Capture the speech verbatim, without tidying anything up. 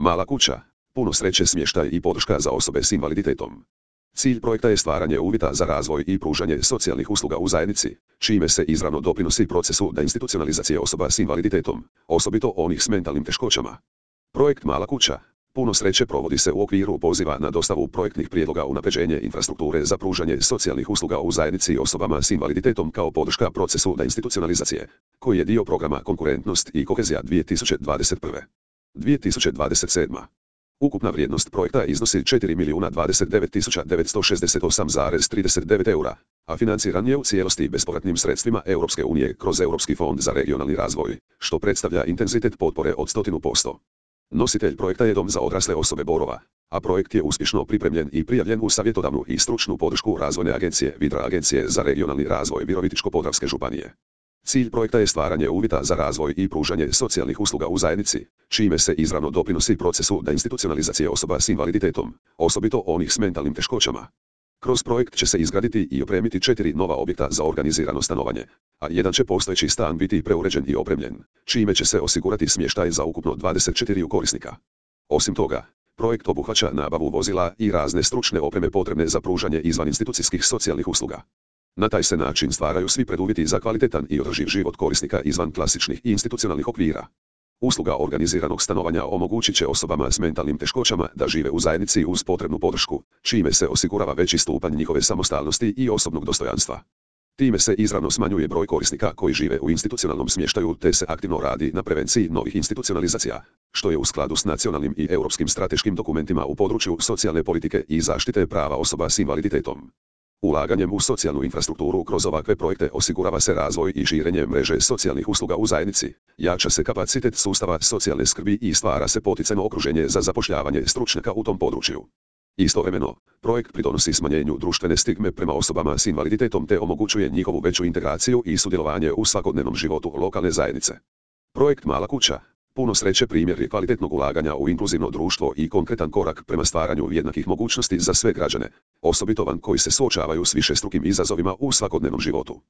Mala kuća, puno sreće, smještaj i podrška za osobe s invaliditetom. Cilj projekta je stvaranje uvjeta za razvoj i pružanje socijalnih usluga u zajednici, čime se izravno doprinosi procesu deinstitucionalizacije osoba s invaliditetom, osobito onih s mentalnim teškoćama. Projekt Mala kuća, puno sreće provodi se u okviru poziva na dostavu projektnih prijedloga unapređenje infrastrukture za pružanje socijalnih usluga u zajednici osobama s invaliditetom kao podrška procesu deinstitucionalizacije, koji je dio programa Konkurentnost i kohezija dvije tisuće dvadeset prve. dvije tisuće dvadeset sedme. Ukupna vrijednost projekta iznosi četiri milijuna dvadeset devet tisuća devetsto šezdeset osam zarez trideset devet eura, a financiran je u cijelosti bespovratnim sredstvima Europske unije kroz Europski fond za regionalni razvoj, što predstavlja intenzitet potpore od sto posto. Nositelj projekta je Dom za odrasle osobe Borova, a projekt je uspješno pripremljen i prijavljen u savjetodavnu i stručnu podršku Razvojne agencije Vidra Agencije za regionalni razvoj Virovitičko-podravske županije. Cilj projekta je stvaranje uvjeta za razvoj i pružanje socijalnih usluga u zajednici, čime se izravno doprinosi procesu deinstitucionalizacije osoba s invaliditetom, osobito onih s mentalnim teškoćama. Kroz projekt će se izgraditi i opremiti četiri nova objekta za organizirano stanovanje, a jedan će postojeći stan biti preuređen i opremljen, čime će se osigurati smještaj za ukupno dvadeset četiri korisnika. Osim toga, projekt obuhvaća nabavu vozila i razne stručne opreme potrebne za pružanje izvaninstitucijskih socijalnih usluga. Na taj se način stvaraju svi preduvjeti za kvalitetan i održiv život korisnika izvan klasičnih i institucionalnih okvira. Usluga organiziranog stanovanja omogućit će osobama s mentalnim teškoćama da žive u zajednici uz potrebnu podršku, čime se osigurava veći stupanj njihove samostalnosti i osobnog dostojanstva. Time se izravno smanjuje broj korisnika koji žive u institucionalnom smještaju te se aktivno radi na prevenciji novih institucionalizacija, što je u skladu s nacionalnim i europskim strateškim dokumentima u području socijalne politike i zaštite prava osoba s invaliditetom. Ulaganjem u socijalnu infrastrukturu kroz ovakve projekte osigurava se razvoj i širenje mreže socijalnih usluga u zajednici, jača se kapacitet sustava socijalne skrbi i stvara se poticajno okruženje za zapošljavanje stručnjaka u tom području. Istovremeno, projekt pridonosi smanjenju društvene stigme prema osobama s invaliditetom te omogućuje njihovu veću integraciju i sudjelovanje u svakodnevnom životu lokalne zajednice. Projekt Mala kuća, puno sreće primjer je kvalitetnog ulaganja u inkluzivno društvo i konkretan korak prema stvaranju jednakih mogućnosti za sve građane, osobito one koji se suočavaju s višestrukim izazovima u svakodnevnom životu.